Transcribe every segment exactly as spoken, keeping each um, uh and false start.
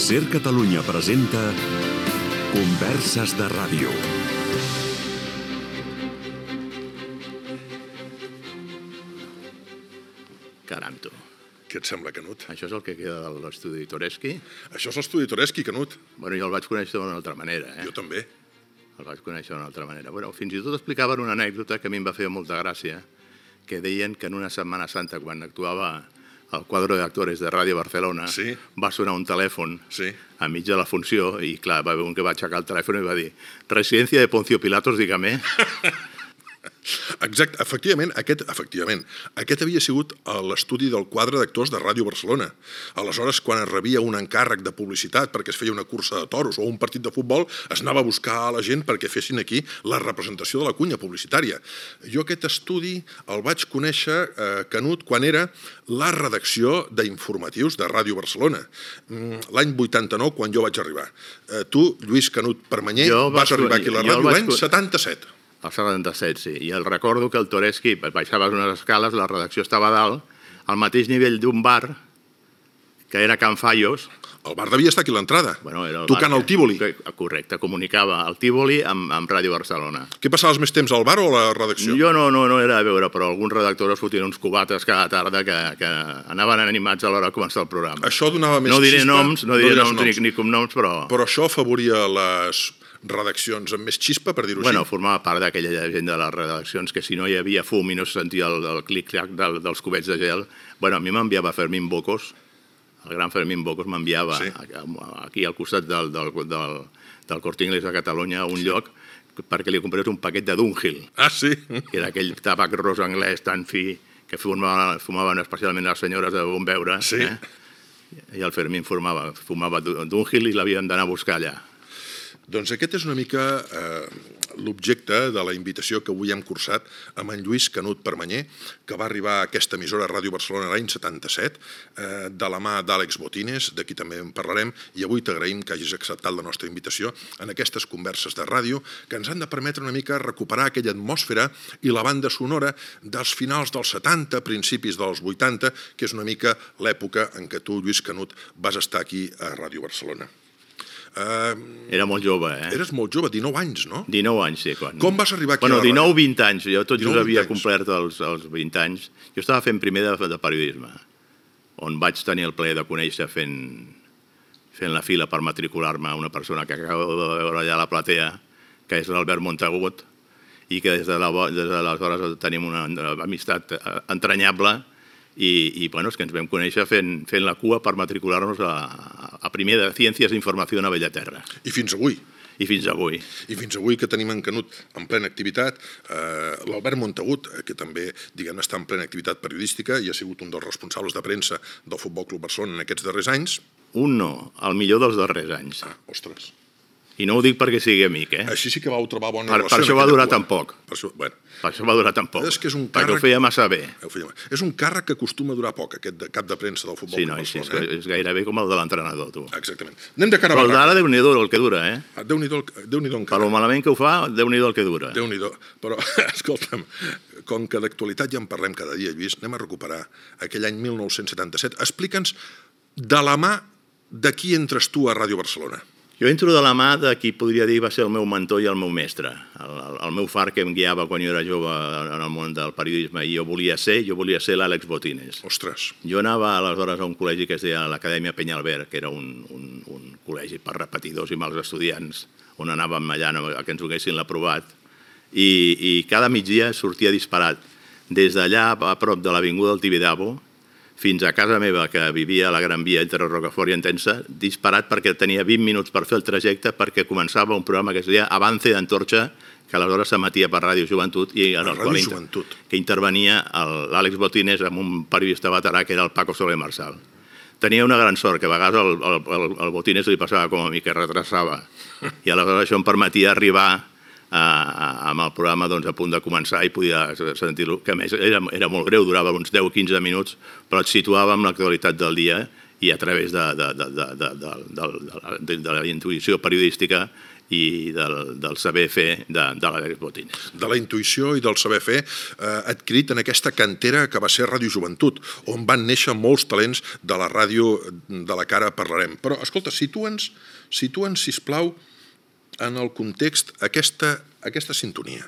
SER Catalunya presenta Converses de Ràdio. Caram, tu. Què et sembla, Canut? Això és el que queda de l'estudi Toreschi? Això és l'estudi Toreschi, Canut. Bueno, jo el vaig conèixer d'una altra manera, eh? Jo també. El vaig conèixer d'una altra manera. Bueno, fins i tot explicaven una anècdota que a mi em va fer molta gràcia, que deien que en una Setmana Santa, quan actuava el quadre d'actores de Ràdio Barcelona, sí. va sonar un telèfon sí. a mig de la funció i, clar, va haver un que va aixecar el telèfon i va dir «Residència de Poncio Pilatos, dígame». Exacte, efectivament, aquest, efectivament, aquest havia sigut l'estudi del quadre d'actors de Ràdio Barcelona. Aleshores, quan es rebia un encàrrec de publicitat perquè es feia una cursa de toros o un partit de futbol, es anava a buscar a la gent perquè fessin aquí la representació de la cunya publicitària. Jo aquest estudi el vaig conèixer, eh, Canut, quan era la redacció d'informatius de Ràdio Barcelona. L'any vuitanta-nou, quan jo vaig arribar. Eh, tu, Lluís Canut Permanyer, vas arribar aquí a la ràdio l'any setanta-set. El setanta-set, sí. I el recordo que el Toreschi baixava unes escales, la redacció estava a dalt, al mateix nivell d'un bar, que era Can Fallos. El bar devia estar aquí a l'entrada, bueno, tocant el Tívoli. Correcte, comunicava el Tívoli amb, amb Ràdio Barcelona. Què passaves més temps al bar o a la redacció? Jo no, no, no era a veure, però alguns redactors fotien uns cubates cada tarda que, que anaven animats a l'hora de començar el programa. Això donava més no diré xispa. Noms, no diré no noms, noms ni, ni cognoms, però... Però això afavoria les redaccions amb més xispa, per dir-ho bueno, així? Formava part d'aquella gent de les redaccions que si no hi havia fum i no se sentia el, el clic-clac del, dels cubets de gel, bueno, a mi m'enviava Fermín Bocos, el gran Fermín Bocos m'enviava sí. aquí al costat del, del, del, del Corte Inglés de Catalunya a un lloc perquè li comprés un paquet de Dunhill. Ah, sí? Que era aquell tabac ros anglès tan fi que fumaven, fumaven especialment les senyores de bon veure. Sí. Eh? I el Fermín fumava, fumava Dunhill i l'havíem d'anar a buscar allà. Doncs aquest és una mica eh, l'objecte de la invitació que avui hem cursat amb en Lluís Canut Permanyer, que va arribar a aquesta emissora Ràdio Barcelona l'any setanta-set, eh, de la mà d'Àlex Botines, d'aquí també en parlarem, i avui t'agraïm que hagis acceptat la nostra invitació en aquestes converses de ràdio que ens han de permetre una mica recuperar aquella atmosfera i la banda sonora dels finals dels setanta, principis dels vuitanta, que és una mica l'època en què tu, Lluís Canut, vas estar aquí a Ràdio Barcelona. Uh, Era molt jove, eh? Eres molt jove, dinou anys, no? dinou anys, sí. Quan... Com vas arribar aquí bueno, a la ràdio? dinou vint anys, jo tot just havia complert els, els vint anys. Jo estava fent primer de, de periodisme, on vaig tenir el plaer de conèixer fent, fent la fila per matricular-me una persona que acabo de veure allà a la platea, que és l'Albert Montagut, i que des de l'aleshores tenim una amistat entranyable. I, i bueno, és que ens vam conèixer fent, fent la cua per matricular-nos a, a primer de Ciències d'Informació a Bellaterra. I fins avui. I fins avui. I fins avui que tenim en Canut en plena activitat, eh, l'Albert Montagut, que també diguem està en plena activitat periodística i ha sigut un dels responsables de premsa del Futbol Club Barcelona en aquests darrers anys. Un no, el millor dels darrers anys. Ah, ostres. I no ho dic perquè sigui amic, eh? Així sí que vau trobar bona per, relació. Per això va durar tan poc. Per això, bueno. per això va durar tan poc. És que és un perquè càrrec... ho feia massa bé. Feia... És un càrrec que acostuma a durar poc, aquest de cap de premsa del Futbol sí, Club no, Barcelona. Sí, és, eh? és gairebé com el de l'entrenador, tu. Exactament. Anem de cara a Però d'ara Déu-n'hi-do el que dura, eh? Ah, Déu-n'hi-do Déu encara. Per lo malament que ho fa, Déu-n'hi-do el que dura. Déu-n'hi-do. Però, escolta'm, com que d'actualitat ja en parlem cada dia, Lluís, anem a recuperar aquell any mil nou-cents setanta-set. Explica'ns de la mà de qui entres tu a Ràdio Barcelona. Jo entro de la mà de qui podria dir va ser el meu mentor i el meu mestre, el, el, el meu far que em guiava quan jo era jove en el món del periodisme i jo volia ser, jo volia ser l'Àlex Botines. Ostres. Jo anava aleshores a un col·legi que es deia l'Acadèmia Penyalbert, que era un, un, un col·legi per repetidors i mals estudiants, on anàvem allà a que ens ho haguessin aprovat, i, i cada migdia sortia disparat des d'allà a prop de l'Avinguda del Tibidabo fins a casa meva, que vivia a la Gran Via entre Rocafort i Entença, disparat perquè tenia vint minuts per fer el trajecte perquè començava un programa que es deia Avance d'Antorxa, que aleshores s'emetia per Ràdio Joventut i en el qual inter... que intervenia l'Àlex Botines amb un periodista veterà que era el Paco Soler Marçal. Tenia una gran sort, que a vegades el, el, el Botines li passava com a mi, que retrasava. I aleshores això em permetia arribar amb el programa a punt de començar i podia sentir-lo, que a més era molt greu, durava uns deu o quinze minuts, però et situava amb l'actualitat del dia i a través de la intuïció periodística i del, del saber fer de, de l'Àlex Botines. De la intuïció i del saber fer eh, adquirit en aquesta cantera que va ser Ràdio Joventut, on van néixer molts talents de la ràdio de la que ara parlarem. Però, escolta, situa'ns, situa'ns, sisplau, en el context aquesta, aquesta sintonia.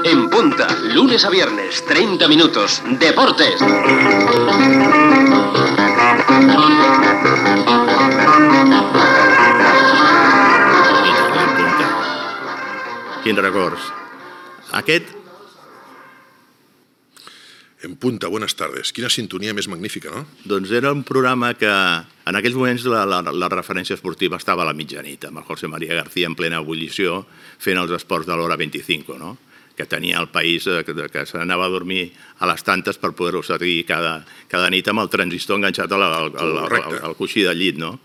En punta, lunes a viernes, treinta minutos, deportes. Quins records. Aquest... En punta, buenas tardes. Quina sintonia més magnífica, no? Doncs era un programa que en aquells moments la, la, la referència esportiva estava a la mitjanit, amb el José María García en plena ebullició fent els esports de l'hora vint-i-cinc, no? Que tenia el país que, que s'anava a dormir a les tantes per poder-ho seguir cada, cada nit amb el transistor enganxat al, al, al, al, al coixí del llit, no?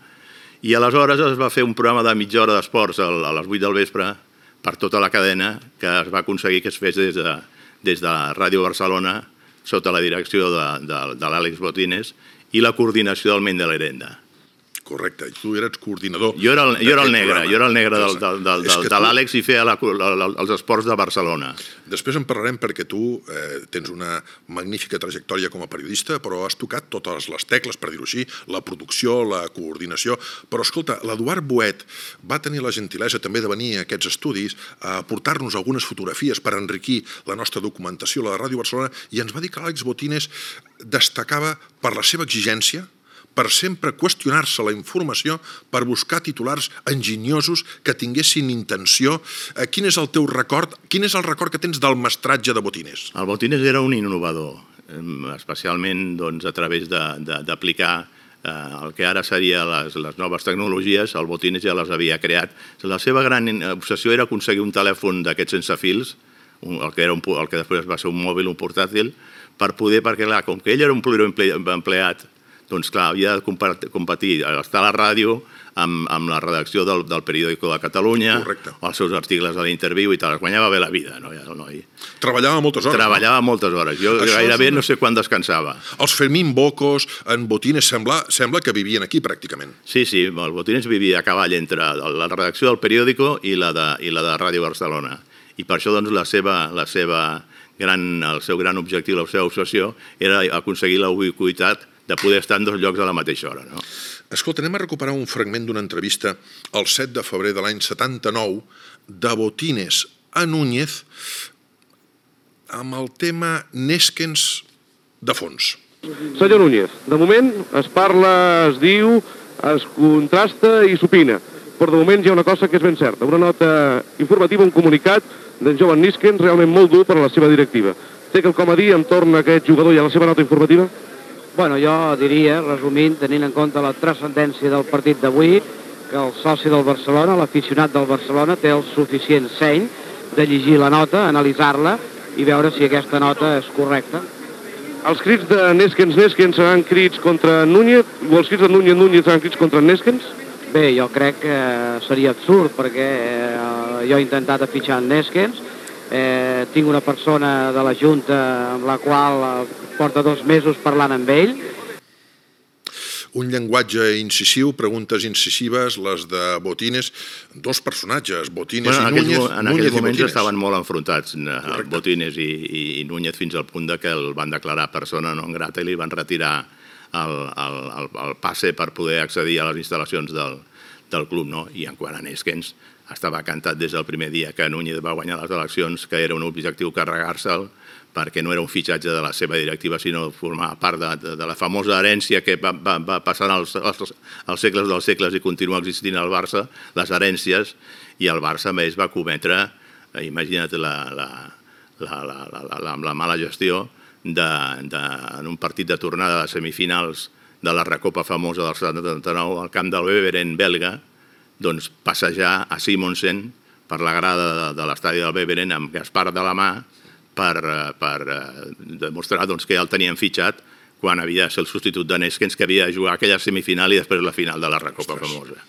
I aleshores es va fer un programa de mitja hora d'esports a les vuit del vespre per tota la cadena, que es va aconseguir que es fes des de, des de Ràdio Barcelona, sota la direcció de, de, de l'Àlex Botines i la coordinació del Ment de l'Herenda. Correcte, i tu eres coordinador. Jo era el, jo era el negre, jo era el negre del, del, del, del, de l'Àlex i feia la, la, els esports de Barcelona. Després en parlarem perquè tu eh, tens una magnífica trajectòria com a periodista, però has tocat totes les tecles, per dir-ho així, la producció, la coordinació. Però escolta, l'Eduard Boet va tenir la gentilesa també de venir a aquests estudis a portar-nos algunes fotografies per enriquir la nostra documentació, la de Ràdio Barcelona, i ens va dir que l'Àlex Botines destacava per la seva exigència, per sempre qüestionar-se la informació, per buscar titulars enginyosos que tinguessin intenció. Quin és el teu record? Quin és el record que tens del mestratge de Botines? El Botines era un innovador, especialment doncs, a través d'aplicar eh, el que ara seria les, les noves tecnologies. El Botines ja les havia creat. La seva gran obsessió era aconseguir un telèfon d'aquests sense fils, el que, era un, el que després va ser un mòbil, un portàtil, per poder, perquè clar, com que ell era un pluriempleat, doncs clar, havia de competir, estar a la ràdio amb, amb la redacció del, del Periódico de Catalunya, correcte, o els seus articles a l'Interviu i tal. Es guanyava bé la vida, no? Ja, el noi. Treballava moltes hores. Treballava no? moltes hores. Jo Això gairebé una... no sé quan descansava. Els Fermín Bocos, en Botines, sembla, sembla que vivien aquí pràcticament. Sí, sí, el Botines vivia a cavall entre la redacció del Periódico i la de, i la de Ràdio Barcelona. I per això doncs, la seva, la seva gran, el seu gran objectiu, la seva obsessió, era aconseguir la ubiquitat de poder estar en dos llocs a la mateixa hora. No? Escolta, anem a recuperar un fragment d'una entrevista el set de febrer de l'any setanta-nou de Botines a Núñez amb el tema Neskens de fons. Senyor Núñez, de moment es parla, es diu, es contrasta i s'opina, però de moment hi ha una cosa que és ben certa, una nota informativa, un comunicat d'en Jovan Neskens realment molt dur per a la seva directiva. Té quelcom a dir entorn a aquest jugador i a la seva nota informativa? Bueno, jo diria, resumint, tenint en compte la transcendència del partit d'avui, que el soci del Barcelona, l'aficionat del Barcelona, té el suficient seny de llegir la nota, analitzar-la i veure si aquesta nota és correcta. Els crits de Neskens, Neskens seran crits contra Núñez, o els crits de Núñez, Núñez seran crits contra Neskens? Bé, jo crec que seria absurd, perquè eh, jo he intentat afitxar en Neskens, eh, tinc una persona de la Junta amb la qual eh, porta dos mesos parlant amb ell. Un llenguatge incisiu, preguntes incisives, les de Botines, dos personatges, Botines bueno, i Núñez. En aquells moments estaven molt enfrontats, Correcte. Botines i, i, i Núñez, fins al punt de que el van declarar persona non grata i li van retirar el, el, el, el passe per poder accedir a les instal·lacions del, del club. No? I en quant a Neskens, estava cantat des del primer dia que Núñez va guanyar les eleccions, que era un objectiu carregar-se'l, perquè no era un fitxatge de la seva directiva, sinó formar part de, de, de la famosa herència que va, va, va passant els, els, els segles dels segles i continua existint al Barça, les herències, i el Barça més va cometre, eh, imagina't la, la, la, la, la, la, la mala gestió de, de, en un partit de tornada de semifinals de la recopa famosa del setanta-nou al camp del Beveren belga, doncs passejar a Simonsen per la grada de, de l'estadi del Beveren amb Gaspar de la mà per, per demostrar doncs, que ja el tenien fitxat quan havia de ser el substitut de Neskens, que havia de jugar aquella semifinal i després la final de la recopa famosa.